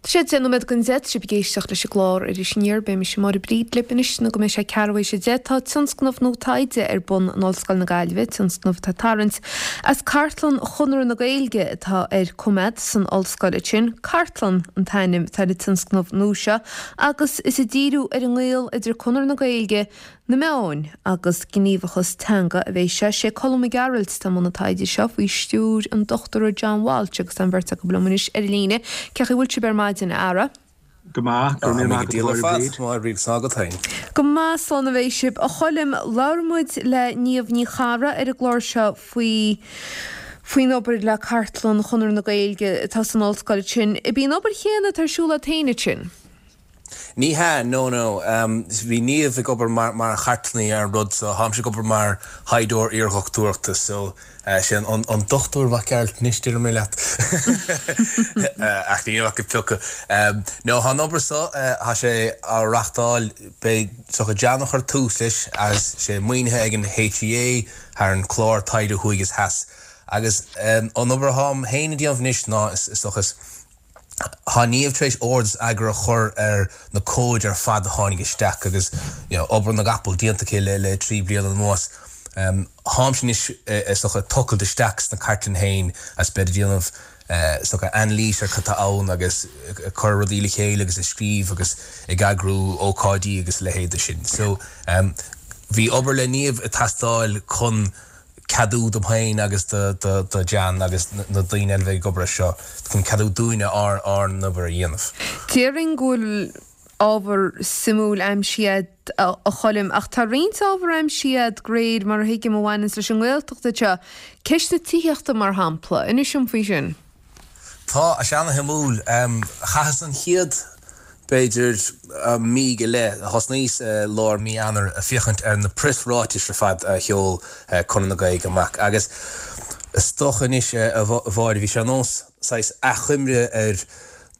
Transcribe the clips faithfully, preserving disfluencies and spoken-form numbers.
Tá sé deich nóiméad don deich, tá sibh ag éisteacht leis an gclár Iris Aniar. Beidh mise Máire Bríd libh anois nó go mbeidh sé ceathrú théis a deich. Tá tionscnamh nua taighde ar bun in Ollscoil na Gaillimhe, tionscnamh atá ag tarraingt as cartlann Chonradh na Gaeilge atá ar coimeád san ollscoil ansin. Cartlann an t-ainm atá ar an tionscnamh nua seo agus is ag díriú ar an ngaol idir Conradh na Gaeilge, na meáin agus gníomhachas teanga a bheidh sé. Sé Colm Mac Gearailt atá i mbun an taighde seo faoi stiúir an Dochtúra John Walsh agus tá an bheirt acu liom anois ar líne. Cén chaoi a bhfuil sibh ar maidin, a fheara? Go maith, go raibh míle maith agat, a Mháire Bríd. Máire Bríd, 's agat féin. Go maith, slán a bheidh sibh. A Choilm, labhair muid le Niamh Ní Charra ar an gclár seo faoi faoin obair le Cartlann Chonradh na Gaeilge atá san ollscoil ansin. Ab í an obair chéanna atá ar siúl agat féin ansin? Ní hea, no, no. Bhí Niamh ag obair mar mar chartlannaí ar an rud so, táimse ag obair mar thaighdeoir iardhochtúireachta so sé an an Dochtúir Mac Gearailt anois déarfaidh mé leat. Ach níl ach ag piocadh. No, tá an obair so, tá sé á reachtáil, beidh is dócha John a chuir tús leis agus sé maoinithe ag an HEA thar an clár Taighde Thuaidh is Theas. Agus an obair atáim féin ag déanamh anois ná is dócha is, Tá Niamh tar éis ord is eagar a chur ar na comhaid ar fad a tháinig isteach agus you know obair na gcapall déanta aici le le trí bliana anuas. Táimse anois is dócha ag tochailt isteach sna cartlann féin agus bead ag déanamh is dócha anailís ar cad tá ann agus ag cur rudaí le chéile agus ag scríobh agus ag eagrú ócáidí agus a leithéid de sin. So bhí obair le Niamh ag teastáil chun ceadú dom féin agus do John agus na daoine eile a bheidh ag obair air seo chun ceadú dúinne ár ár n-obair a dhéanamh. Déarfainn go bhfuil ábhar suimiúil aimsithe agat, a Choilm, ach tá roinnt ábhar aimsithe agat de réir mar a thuigim a bhaineanns leis an nGaeltacht anseo. Ceist na tithíochta mar shampla. Inis dom faoi sin. Tá sé ana-shuimiúil. Chaitheas an chéad, b'fhéidir, mí go leith, thosnaíos i lár mí Eanáir ag féachaint ar na preasráitis ar fad a sheol Conradh na Gaeilge amach agus is dócha anois, a Mháire, bhí sé ar nós saghas achoimre ar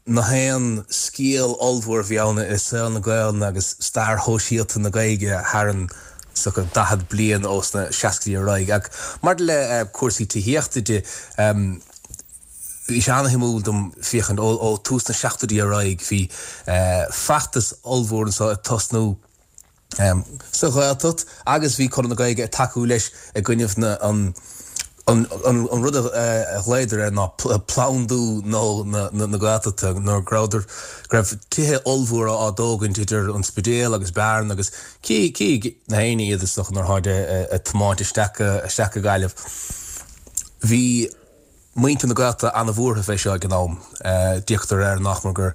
na haon scéal ollmhór a bhí ann i saol na Gaelainne agus stair shóisialta na Gaeilge thar an is dócha daichead bliain ó sna seascaidí ar aghaidh. Ach maidir le cúrsaí tithíochta de, bhí sé ana-shuimiúil dom féachaint ó tús na seachtóidí ar aghaidh, bhí feachtas ollmhór anseo ag tosnú sa Ghaeltacht agus bhí Conradh na Gaeilge ag tacú leis i gcoinnibh na an an an rud a ghlaodar air ná plandú nó na na Gaeltachta nuair go rabhadar go raibh tithe ollmhóra á dtógaint idir an Spidéal agus Bearna agus cí cí na héinne iad is dócha nuair tháid ag tiomáint isteach isteach go Gaillimh. Bhí muintir na Gaeltachta an-bhuartha fé seo ag an am. D'fhéachadar air nach mór gur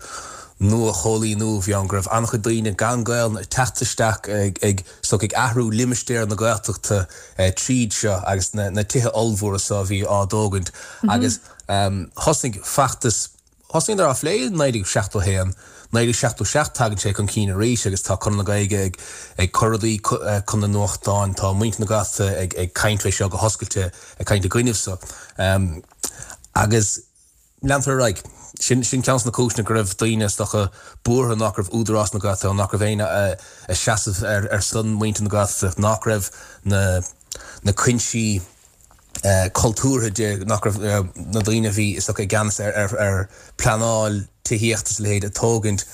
nua-choilíniú a bhí ann, go raibh an-chuid daoine gan Gaelainn ag teacht isteach ag ag is dócha ag athrú limistéar na Gaeltachta tríd seo agus na tithe ollmhóra seo a bhí á dtógaint agus thosnaigh feachtas Thosnaíodar á phlé i naoi déag seachtó a haon, naoi déag seachtó seacht tagann sé chun cinn arís agus tá Conradh na Gaeilge ag ag cur rudaí chun na nuachtáin, tá muintir na Gaeltachta ag ag caint fé seo go hoscailte, ag caint i gcoinnibh so. Agus leantar ar aghaidh. Sin sin ceann de na cúiseanna go raibh daoine is dócha buartha nach raibh Údarás na Gaeltachta ann, nach raibh éinne ag seasamh ar ar son muintir na Gaeltachta, nach raibh na na cuinsí cultúrtha de nach raibh na daoine a bhí is dócha i gceannas ar pleanáil tithíochta is a leithéid ag tógaint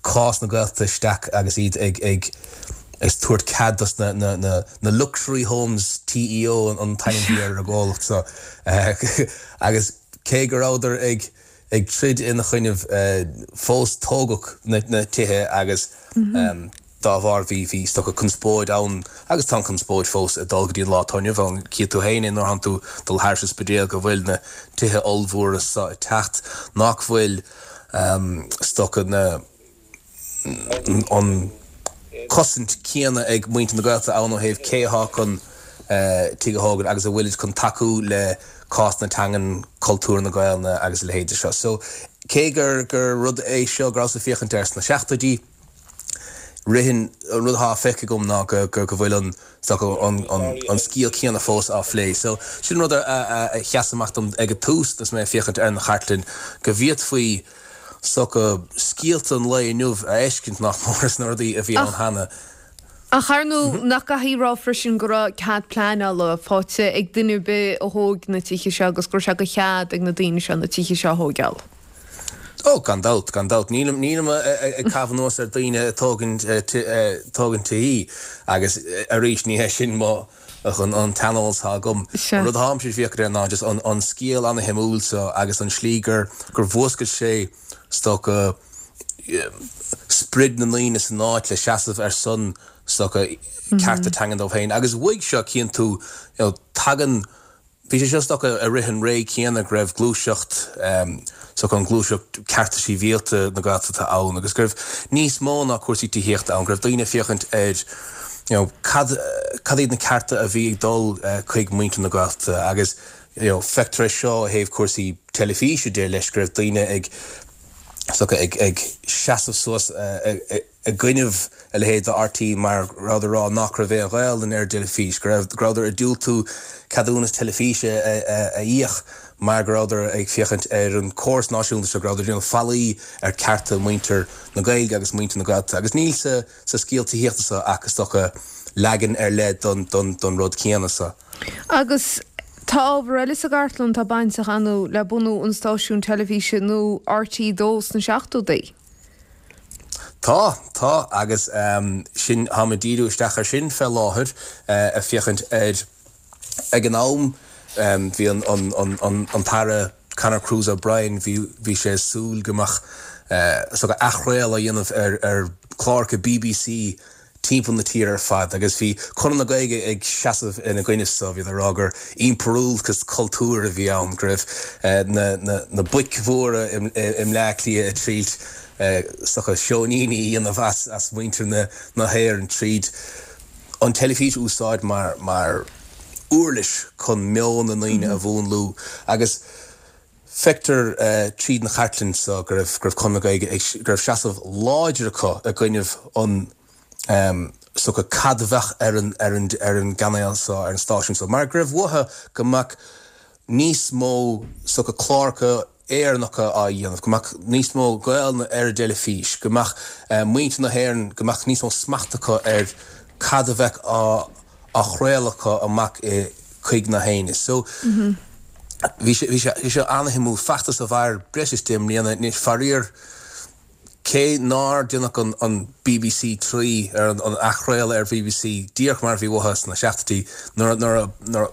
cás na Gaeltachta isteach agus iad ag ag ag tabhairt cead dos na na na na luxury homes TEO an t-ainm a bhí ar an gcomhlacht so agus cé go rabhadar ag ag troid ina choinnibh fós tógadh na tithe agus dá bharr bhí bhí is dócha conspóid ann agus tá an conspóid fós ag dul go dtí an lá atá inniu ann. Cífidh tú féin é nuair thánn tú ag dul thairis an Spidéal go bhfuil na tithe ollmhóra so ag teacht nach bhfuil is dócha na an cosaint céanna ag muintir na Gaeltachta ann ó thaobh cé athá chun tigh a thógaint agus a bhfuilid chun tacú le cás na teangan, cultúr na Gaelainne agus a leithéid de seo. So, cé gur gur rud é seo go rabhas ag féachaint air sna seachtóidí, ritheann, an rud athá feicthe agam ná go go go bhfuil an is dócha an an an scéal céanna fós á phlé. So, sin rud a a a sheas amach dom ag an tús agus mé ag féachaint ar an chartlann, go bhféadfaí is dócha scéalta an lae inniu a fheiscint nach mór sna rudaí a bhí ann Ach cheana. Ach ar ndóigh, nach gcaithfí a rá freisin go raibh cead pleanála faighte ag duine ar bith a thóg na tithe seo agus go raibh sé de chead ag na daoine seo na tithe seo a thóigeáil? Ó, gan dabht, gan dabht. Nílim, nílim ag caitheamh anuas ar daoine ag tógaint, tógaint tithe agus arís ní hé sin mo, an, an t-aineolas atá agam. Sea. An rud atáimse ag féachaint air ná just an, an scéal ana-shuimiúil so agus an slí gur, gur mhúscail sé is dócha sprid na ndaoine san áit le seasamh ar son is dócha cearta teangan dóibh féin. Agus uaidh seo cíonn tú, you know, tagann, bhí sé seo is dócha i rith an ré céanna go raibh gluaiseacht, is dócha an gluaiseacht cearta sibhialta na Gaeltachta ann agus go raibh níos mó ná cúrsaí tithíochta ann, go raibh daoine ag féachaint ar, you know, cad, cad iad na cearta a bhí ag dul chuig muintir na Gaeltachta agus, you know, feictear é seo ó thaobh cúrsaí teilifíse de leis, go raibh daoine ag, is dócha, ag, ag seasamh suas i gcoinnibh a leithéid de RTÉ mar go rabhadar ag rá nach raibh aon Ghaelainn ar an dteilifís, go raibh, go rabhadar ag diúltú ceadúnas teilifíse a, a, a íoc mar go rabhadar ag féachaint ar an córas náisiúnta seo, go rabhadar ag déanamh faillí ar cearta muintir na Gaeilge agus muintir na Gaeltachta. Agus níl sa, sa scéal tithíochta seo ach is dócha leagan ar leith don, don, don rud céanna seo. Agus tá ábhar eile sa gcartlann atá bainteach ar ndóigh le bunú an stáisiúin teilifíse nó RTÉ dó sna seachtóidí. Tá, tá, agus sin, táim ag díriú isteach ar sin fé láthair, ag féachaint ar, ag an am, bhí an, an, an, an, an tAire Conor Cruise O'Brien, bhí, bhí sé ag súil go mbeadh, is dócha, athchraoladh á dhéanamh ar, ar chláracha BBC timpeall na tíre ar fad agus bhí Conradh na Gaeilge ag seasamh ina gcoinne so, bhíodar ag rá gur impiriúlachas cultúir a bhí ann, go raibh na, na, na boic mhóra i, i mBleá Cliath ag triail, is dócha, seoiníní a dhéanamh as, as muintir na, na hÉireann tríd an teilifís a úsáid mar, mar uirlis chun meon na ndaoine a mhúnlú agus feictear tríd an chartlann so go raibh, go raibh Conradh na Gaeilge ag, go raibh seasamh láidir acu i gcoinnibh an, is dócha cad a bheadh ar an, ar an, ar an gcainéal so, ar an stáisiún so, mar go raibh uathu go mbeadh níos mó, is dócha, cláracha Éireannacha á dhéanamh, go mbeadh níos mó Gaelainne ar an dteilifís, go mbeadh muintir na hÉireann, go mbeadh níos mó smacht acu ar cad a bheadh á, á chraoladh acu amach i, chuig na héinne. So, bhí sé, bhí sé, bhí sé ana-shuimiúil, feachtas a mhair breis is deich mbliana, anois faraor, cé nár déanadh an, an BBC Three, ar an, an athchraoladh ar BBC díreach mar a bhí uathu sna seachtóidí, nuair a, nuair a, nuair a,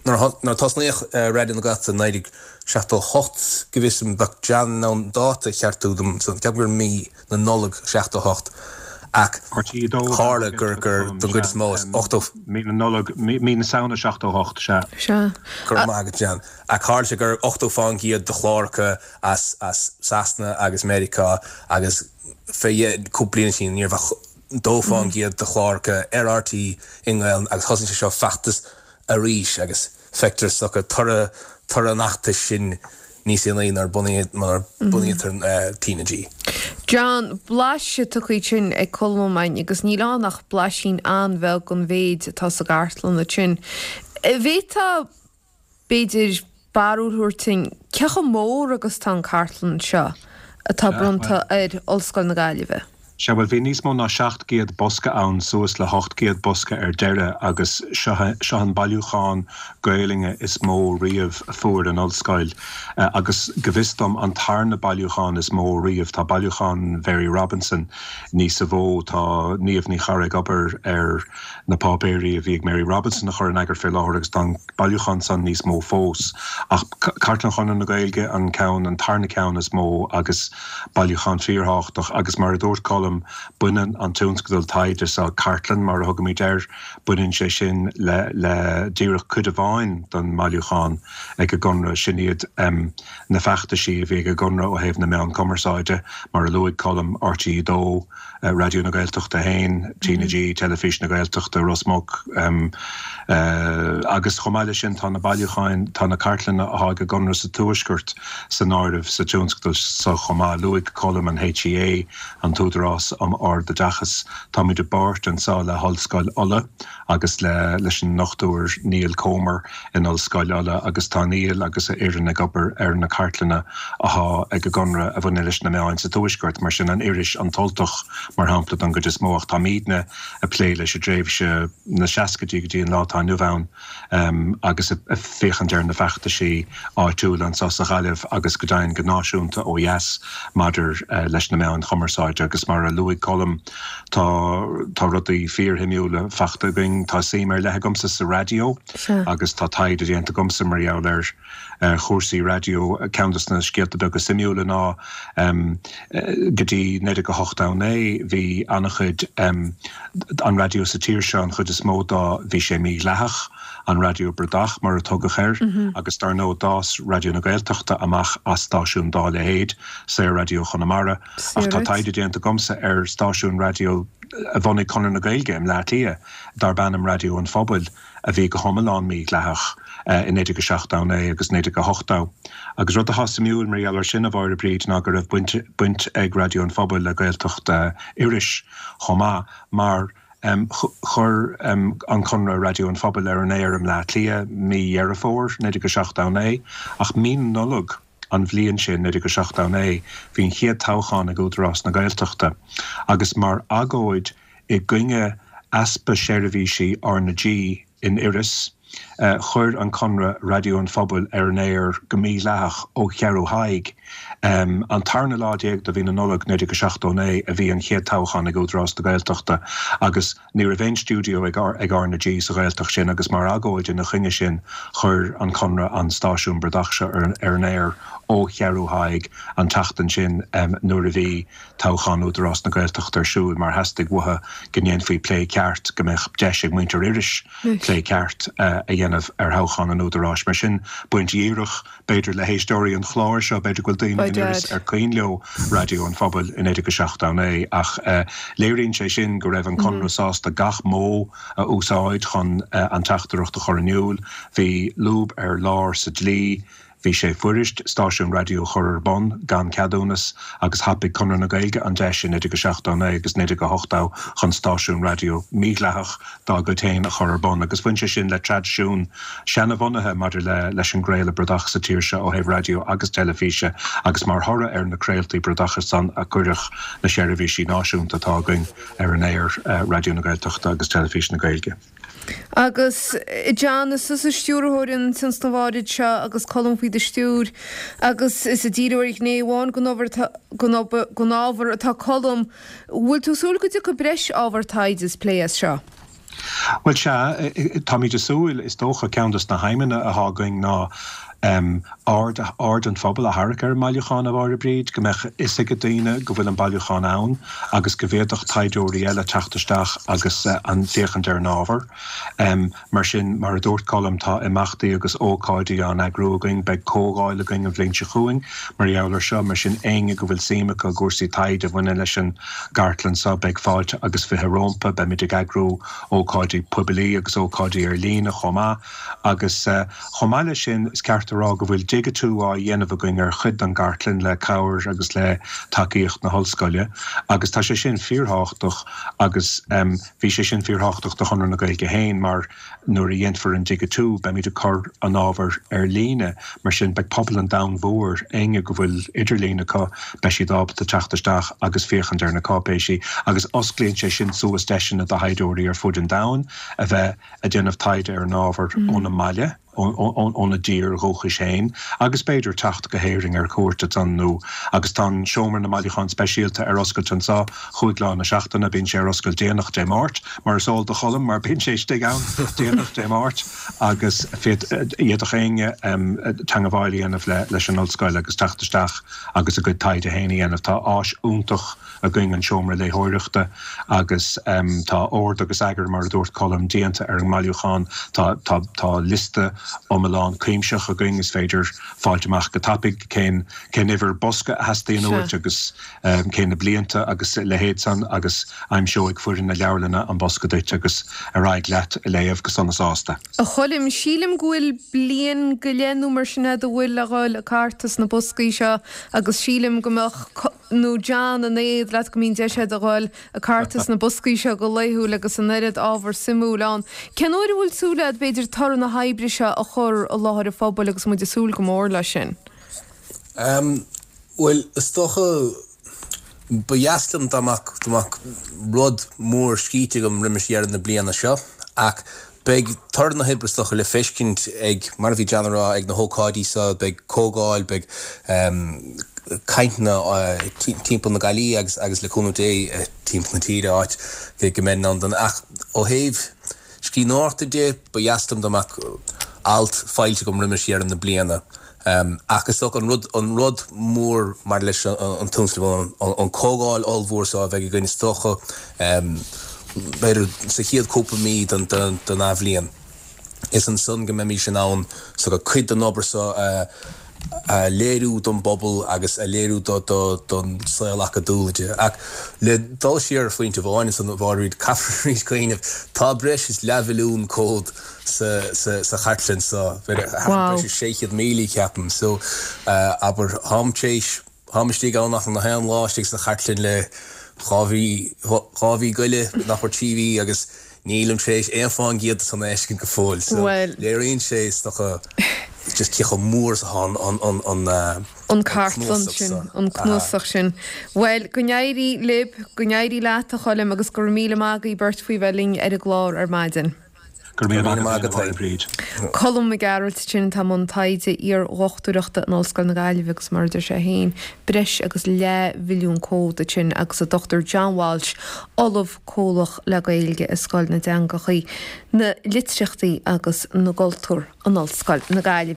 nuair a tosnaíodh Raidió na Gaeltachta i naoi déag seachtó a hocht, go bhfios dom, bheadh John in ann dáta a cheartú dom, ceapaim gur mí na Nollag seachtó a hocht, ach tharla gur, gur, don gcuid is mó, is ochtó. Mí na Nollag, mí na Samhna seachtó a hocht, sea. Sea. Go raibh maith agat, John. Ach tharla sé gur ochtó fán gcéad de chláracha as, as Sasana agus Meiriceá agus fé dheich, cúpla bliain ó shin ní raibh ach dó fán gcéad de chláracha ar RTÉ i nGaelainn agus thosaigh sé seo feachtas arís agus feictear is dócha toradh toradh an fheachtais sin níos déanaí nuair nuair a bunaítear TnaG. John, blaiseadh tugtha ansin ag Colm Ó Maine agus níl ann ach blaisín an-bheag den mhéid atá sa gcartlann ansin. An bhféadfá, b'fhéidir, barúil a thabhairt dúinn cé chomh mór agus atá an cartlann seo atá bronnta ar Ollscoil na Gaillimhe? Sea, bhuel, bhí níos mó ná seacht gcéad bosca ann, suas le hocht gcéad bosca ar deireadh, agus seo, seo an bailiúchán Gaelainne is mó riamh a fuair an Ollscoil, agus go bhfios dom an tarna bailiúchán is mó riamh. Tá bailiúchán Mhary Robinson níosa mhó. Tá Niamh Ní Charra ag obair ar na páipéirí a bhí ag Mary Robinson a chur in eagar fé láthair agus tá an bailiúchán san níos mó fós. Ach Cartlann Chonradh na Gaeilge an ceann, an tarna ceann is mó agus bailiúchán fíorthábhachtach agus mar a dúirt Colm, baineann an tionscadal taighde seo, cartlann mar a thugaimid air, baineann sé sin le le díreach cuid amháin den mbailiúchán ag an gConradh, sin iad na feachtaisí a bhí ag an gConradh ó thaobh na meán cumarsáide, mar a luaigh Colm, RTÉ dó, Raidió na Gaeltachta a haon, TnaG, Teilifís na Gaeltachta, Ros Muc, agus chomh maith leis sin tá na bailiúcháin, tá na cartlanna atá ag an gConradh sa Tuaisceart san áireamh sa tionscadal seo chomh maith. Luaigh Colm an HEA, an tÚdarás. Údarás um Ard-Oideachas. Táimid i bpáirt anseo le hOllscoil Uladh agus le leis an nDochtúir Niall Comer in Ollscoil Uladh agus tá Niall agus a fhoireann ag obair ar na cartlanna atá ag an gConradh a bhaineann leis na meáin sa Tuaisceart, mar sin an iris An tUltach mar shampla don gcuid is mó ach táimidne ag plé leis an dtréimhse na seascaidí go dtí an lá atá inniu ann agus ag féachaint ar na feachtaisí áitiúla anseo sa Ghaillimh agus go deimhin go náisiúnta ó dheas maidir leis na meáin chumarsáide agus mar a luaigh Colm tá tá rudaí fíorshuimiúla faighte againn. Tá suim ar leith agamsa sa raidió agus tá taighde déanta agamsa mar gheall ar chúrsaí raidió. Ceann de na scéalta beaga suimiúla ná go dtí naoi déag a hocht a naoi bhí an-chuid an raidió sa tír seo, an chuid is mó dá bhí sé mídhleathach, an raidió bradach mar a tugadh air, agus dar ndóigh d'fhás Raidió na Gaeltachta amach as stáisiún dá leithéid, Saor-Raidió Chonamara. Ach tá taighde déanta agamsa ar stáisiún raidió a bhunaigh Conradh na Gaeilge i mBleá Cliath darb ainm Raidió an Phobail a bhí go hiomlán mídhleathach i naoi déag a seacht a naoi agus naoi déag a hocht. Agus rud atá suimiúil mar gheall air sin, a Mháire Bríd, ná go raibh baint baint ag Raidió an Phobail le Gaeltacht Iorrais chomh maith mar chuir an Conradh Raidió an Phobail ar an aer i mBleá Cliath mí Dheireadh Fómhair naoi déag a seacht a naoi ach mí na Nollag an bhliain sin, naoi déag a seacht a naoi, bhí an chéad toghchán ag Údarás na Gaeltachta agus mar agóid i gcoinne easpa seirbhísí R na G in Iorras, chuir an Conradh Raidió an Phobail ar an aer go mídhleathach ó Cheathrú Thaidhg. An tarna lá déag de mhí na Nollag naoi déag a seacht a naoi a bhí an chéad toghchán ag Údarás na Gaeltachta agus ní raibh aon stiúideo ag ag R na G sa Ghaeltacht sin agus mar agóid ina choinne sin chuir an Conradh an stáisiún bradach seo ar ar an aer ó Cheathrú Thaidhg an tseachtain sin nuair a bhí toghchán Údarás na Gaeltachta ar siúl mar theastaigh uathu go ndéanfaí plé ceart, go mbeadh deis ag muintir Iorrais plé ceart a dhéanamh ar thoghchán an Údaráis. Mar sin, baint dhíreach, b'fhéidir, le héisteoirí an chláir seo, b'fhéidir go bhfuil daoine in Iorras ar cuimhin leo Raidió an Phobail i naoi déag a seacht a naoi, ach léiríonn sé sin go raibh an Conradh sásta gach modh a úsáid chun an teachtaireacht a chur in iúl. Bhí lúb ar lár sa dlí. Bhí sé fuirist stáisiún raidió a chur ar bun gan ceadúnas agus thapaigh Conradh na Gaeilge an deis i naoi déag a seacht a naoi agus naoi déag a hocht a chun stáisiún raidió mídhleathach dá gcuid féin a chur ar bun agus bhain sé sin le traidisiún seanbhunaithe maidir le leis an gcraoladh bradach sa tír seo ó thaobh raidió agus teilifíse agus mar thoradh ar na craoltaí bradacha san a cuireadh na seirbhísí náisiúnta atá againn ar an aer, Raidió na Gaeltachta agus Teilifís na Gaeilge. Agus John, is tusa stiúrthóir an tionscnaimh áirid seo agus Colm faoi do stiúir agus is ag díriú ar ghné amháin den ábhar atá Colm. Bhfuil tú ag súil go dtiocfaidh breis ábhar taighde is plé as seo? Bhuel, sea, táimid ag súil, is dócha, ceann de na haidhmeanna atá againn ná aird aird an phobail a tharrac ar an mbailiúchán, a Mháire Bríd, go mbeadh fhios ag daoine go bhfuil an bailiúchán ann agus go bhféadfadh taighdeoirí eile teacht isteach agus an féachaint ar an ábhar. Mar sin, mar a dúirt Colm, tá imeachtaí agus ócáidí á n-eagrú againn, beidh comhdháil againn an bhliain seo chugainn mar gheall air seo, mar sin éinne go bhfuil suim acu i gcúrsaí taighde a bhaineann leis an gcartlann seo, beidh fáilte agus fiche rompu. Beimid ag eagrú ócáidí poiblí agus ócáidí ar líne chomh maith agus chomh maith leis sin, is ceart a rá go bhfuil digitiú á dhéanamh againn ar chuid den gcartlann le cabhair agus le tacaíocht na hollscoile agus tá sé sin fíorthábhachtach agus bhí sé sin fíorthábhachtach do Chonradh na Gaeilge féin mar nuair a dhéanfar an digitiú beimid ag cur an ábhair ar líne mar sin beidh pobal an domhain mhóir, éinne go bhfuil idirlíon acu, beidh siad ábalta teacht isteach agus féachaint ar na cáipéisí agus osclaíonn sé sin suas deiseanna do thaighdeoirí ar fud an domhain a bheith ag déanamh taighde ar an ábhar óna mbaile. óna dtír dhúchais féin agus b'fhéidir teacht go hÉirinn ar cuairt ansan nó agus tá an Seomra na mBailiúchán Speisialta ar oscailt anso chúig lá na seachtaine, bíonn sé ar oscailt déanach Dé Máirt, mar is eol do Cholm mar bíonn sé istigh ann déanach Dé Máirt agus d'fhéadfadh éinne teangabháil a dhéanamh leis an ollscoil agus teacht isteach agus a gcuid taighde féin a dhéanamh. Tá áis iontach againn, an seomra léitheoireachta, agus tá ord agus eagar, mar a dúirt Colm, déanta ar an mbailiúchán. Tá tá tá liosta iomlán cuimsitheach againn, is féidir fáilt amach go tapaidh cén cén uimhir bosca a theastaíonn uait agus cé na blianta agus a leithéid san agus aimseoidh foireann na leabharlainne an bosca duit agus ar aghaidh leat a léamh go sona sásta. A Choilm, sílim go bhfuil bliain go leith nó mar sin fhad a bhfuil le dhul ag cartadh sna boscaí seo agus sílim go mbeadh nó John an éad leat go mbíonn deis agat a dhul ag cartadh sna boscaí seo go laethúil agus an oiread ábhar suimiúil ann. Cén uair a bhfuil súil agat b'fhéidir toradh na hoibre seo a chur i láthair an phobail agus muid ag súil go mór leis sin? Bhuel, is dócha, ba dheas liom dá mbeadh, dá mbeadh rud mór scríte agam roimis dheireadh na bliana seo ach beidh toradh na hoibre is dócha le feiscint ag, mar a bhí John a rá, ag na hócáidí seo, beidh comhdháil, beidh cainteanna timpeall na Gaillimhe agus agus le cúnamh Dé timpeall na tíre áit go mbeinn in ann don ach ó thaobh scríbhneoireachta de ba dheas liom dá mbeadh alt foilsithe agam roimis dheireadh na bliana. Ach is dócha an rud an rud mór mar leis an tionscnamh an comhdháil ollmhór seo a bheidh againn is dócha b'fhéidir sa chéad cúpla mí den den athbhliain. Is ansan go mbeimis in ann so go cuid den obair seo a a léiriú don bpobal agus a léiriú do do don saol acadúil de. Ach le dul siar ar phointe amháin ansan a Mháiréad, caithfear arís cuimhneamh, tá breis is leathmhilliún comhad sa sa sa chartlann seo, Wow. breis is sé chéad míle ceapaim. So abair, táim tar éis Táim istigh ann achan aon lá istigh sa chartlann le dhá mhí, dhá mhí go leith, nach mór trí mhí agus nílim tar éis aon fán gcéad de san a fheiscint go fóill. So Bhuel. léiríonn sé is dócha just cé chomh mór is atá an, an, an, an, an an cartlann cnuasach sin, seo. an Aha. cnuasach sin. Bhuel, go n-éirí libh, go n-éirí leat a Choilm agus go raibh míle maith agaibh beirt faoi bheith linn ar an gclár ar maidin. Go raibh míle Go maith raibh míle agat maith féin, a agat Mháire Bríd. Colm Mac Gearailt sin atá i mbun taighde iardhochtúireachta in Ollscoil na Gaillimhe agus mar a deir sé féin, breis agus leathmhilliún comhad ansin agus an Dochtúir John Walsh, Ollamh Comhlach le Gaeilge i Scoil na dTeangachaí, na Litríochtaí agus na gCultúr in Ollscoil na Gaillimhe.